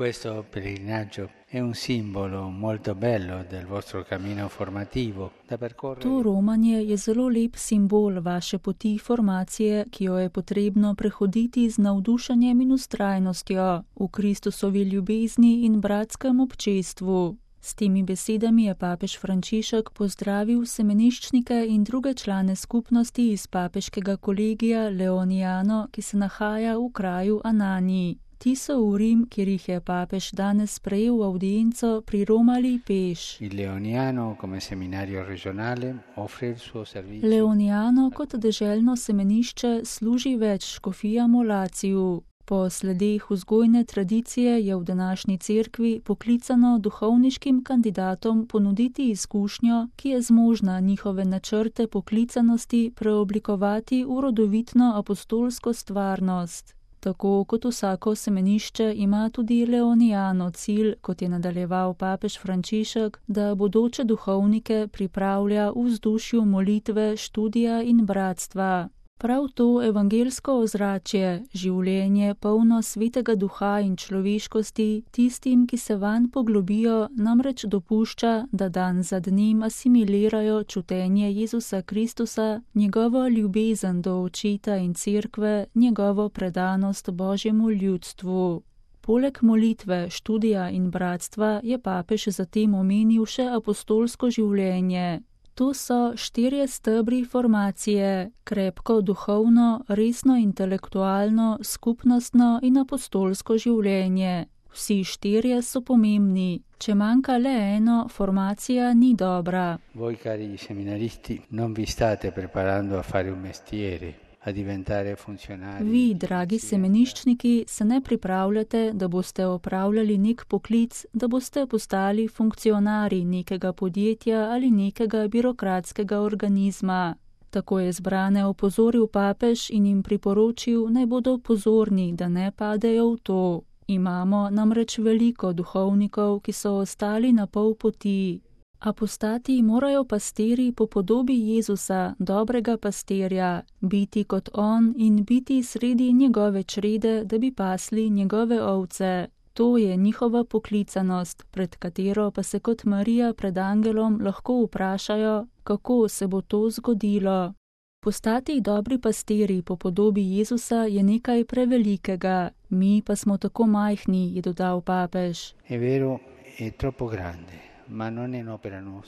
questo pellegrinaggio è un simbolo molto bello del vostro cammino formativo da percorrere. To romanje je zelo lep simbol vaše poti formacije, ki jo je potrebno prehoditi z navdušenjem in vztrajnostjo v Kristusovi ljubezni in bratskem občestvu. S temi besedami je papež Frančišek pozdravil semeniščnike in druge člane skupnosti iz papeškega kolegija Leoniano, ki se nahaja v kraju Anani. Ti so v Rim, kjer jih je papež danes sprejel v audienco, priromali peš. Leoniano kot deželno semenišče služi več škofijam v Laciju. Po sledeh vzgojne tradicije je v današnji cerkvi poklicano duhovniškim kandidatom ponuditi izkušnjo, ki je zmožna njihove načrte poklicanosti preoblikovati v rodovitno apostolsko stvarnost. Tako kot vsako semenišče ima tudi Leoniano cilj, kot je nadaljeval papež Frančišek, da bodoče duhovnike pripravlja v vzdušju molitve, študija in bratstva. Prav to evangelsko ozračje, življenje polno svetega duha in človeškosti, tistim, ki se vanj poglobijo, namreč dopušča, da dan za dnem asimilirajo čutenje Jezusa Kristusa, njegovo ljubezen do očeta in cerkve, njegovo predanost Božjemu ljudstvu. Poleg molitve, študija in bratstva je papež zatem omenil še apostolsko življenje. To so 4 stebri formacije, krepko duhovno, resno intelektualno, skupnostno in apostolsko življenje. Vsi 4 so pomembni. Če manjka le eno, formacija ni dobra. Voi, cari seminaristi, non vi state preparando a fare un mestiere. Vi, dragi semeniščniki, se ne pripravljate, da boste opravljali nek poklic, da boste postali funkcionarji nekega podjetja ali nekega birokratskega organizma. Tako je zbrane opozoril papež in jim priporočil, naj bodo pozorni, da ne padejo v to. Imamo namreč veliko duhovnikov, ki so ostali na pol poti. Apostati morajo pastiri po podobi Jezusa, dobrega pastirja, biti kot on in biti sredi njegove črede, da bi pasli njegove ovce. To je njihova poklicanost, pred katero pa se kot Marija pred angelom lahko vprašajo, kako se bo to zgodilo. Postati dobri pastiri po podobi Jezusa je nekaj prevelikega, mi pa smo tako majhni, je dodal papež. È vero, è troppo grande.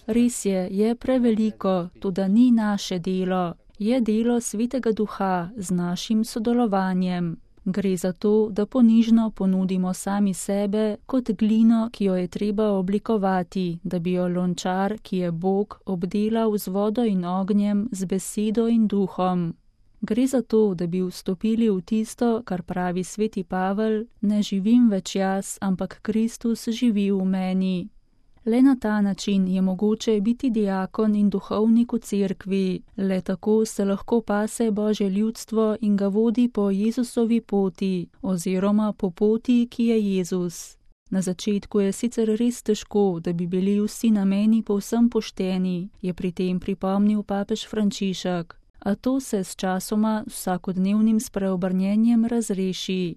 Res je preveliko, tudi ni naše delo. Je delo Svetega Duha z našim sodelovanjem. Gre za to, da ponižno ponudimo sami sebe kot glino, ki jo je treba oblikovati, da bi jo lončar, ki je Bog, obdelal z vodo in ognjem, z besedo in duhom. Gre za to, da bi vstopili v tisto, kar pravi sveti Pavel, ne živim več jaz, ampak Kristus živi v meni. Le na ta način je mogoče biti diakon in duhovnik v cerkvi, le tako se lahko pase Božje ljudstvo in ga vodi po Jezusovi poti, oziroma po poti, ki je Jezus. Na začetku je sicer res težko, da bi bili vsi nameni povsem pošteni, je pri tem pripomnil papež Frančišek. A to se s časoma vsakodnevnim spreobrnjenjem razreši.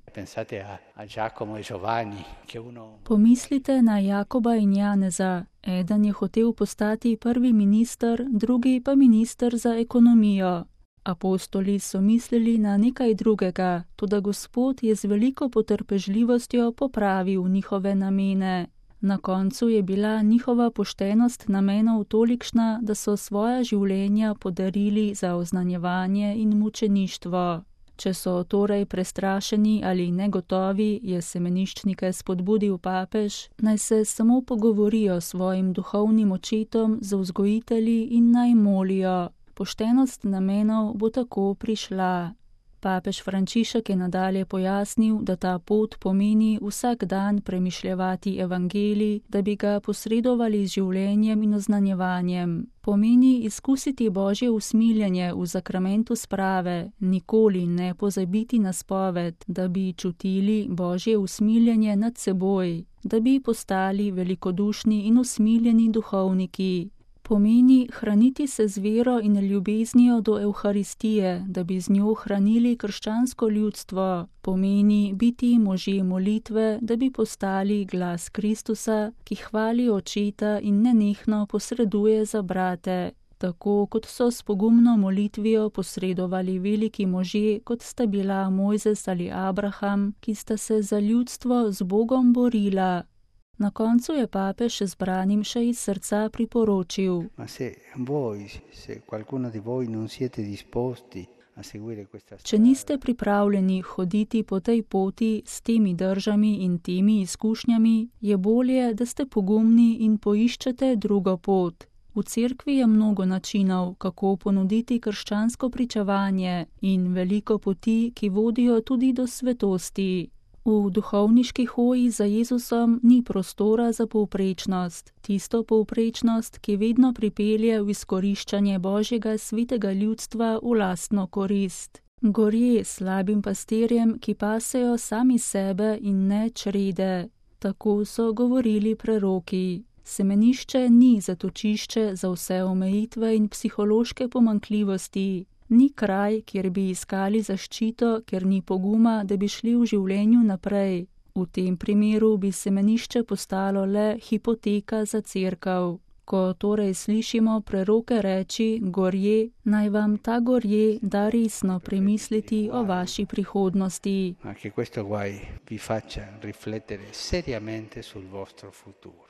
Pomislite na Jakoba in Janeza. Eden je hotel postati prvi minister, drugi pa minister za ekonomijo. Apostoli so mislili na nekaj drugega, toda Gospod je z veliko potrpežljivostjo popravil njihove namene. Na koncu je bila njihova poštenost namenov tolikšna, da so svoja življenja podarili za oznanjevanje in mučeništvo. Če so torej prestrašeni ali negotovi, je semeniščnike spodbudil papež, naj se samo pogovorijo s svojim duhovnim očetom, z vzgojitelji in naj molijo. Poštenost namenov bo tako prišla. Papež Frančišek je nadalje pojasnil, da ta pot pomeni vsak dan premišljevati evangelij, da bi ga posredovali z življenjem in oznanjevanjem. Pomeni izkusiti Božje usmiljenje v zakramentu sprave, nikoli ne pozabiti na spoved, da bi čutili Božje usmiljenje nad seboj, da bi postali velikodušni in usmiljeni duhovniki. Pomeni hraniti se z vero in ljubeznijo do Evharistije, da bi z njo hranili krščansko ljudstvo. Pomeni biti možje molitve, da bi postali glas Kristusa, ki hvali Očeta in nenehno posreduje za brate. Tako kot so s pogumno molitvijo posredovali veliki možje, kot sta bila Mojzes ali Abraham, ki sta se za ljudstvo z Bogom borila. Na koncu je papež zbranim še iz srca priporočil: Če niste pripravljeni hoditi po tej poti s temi držami in temi izkušnjami, je bolje, da ste pogumni in poiščete drugo pot. V cerkvi je mnogo načinov, kako ponuditi krščansko pričevanje in veliko poti, ki vodijo tudi do svetosti. V duhovniški hoji za Jezusom ni prostora za povprečnost, tisto povprečnost, ki vedno pripelje v izkoriščanje Božjega svetega ljudstva v lastno korist. Gorje slabim pastirjem, ki pasejo sami sebe in ne črede. Tako so govorili preroki. Semenišče ni zatočišče za vse omejitve in psihološke pomanjkljivosti. Ni kraj, kjer bi iskali zaščito, ker ni poguma, da bi šli v življenju naprej. V tem primeru bi semenišče postalo le hipoteka za cerkev. Ko torej slišimo preroke reči gorje, naj vam ta gorje da resno premisliti o vaši prihodnosti. Ma che questo guai vi faccia riflettere seriamente sul vostro futuro.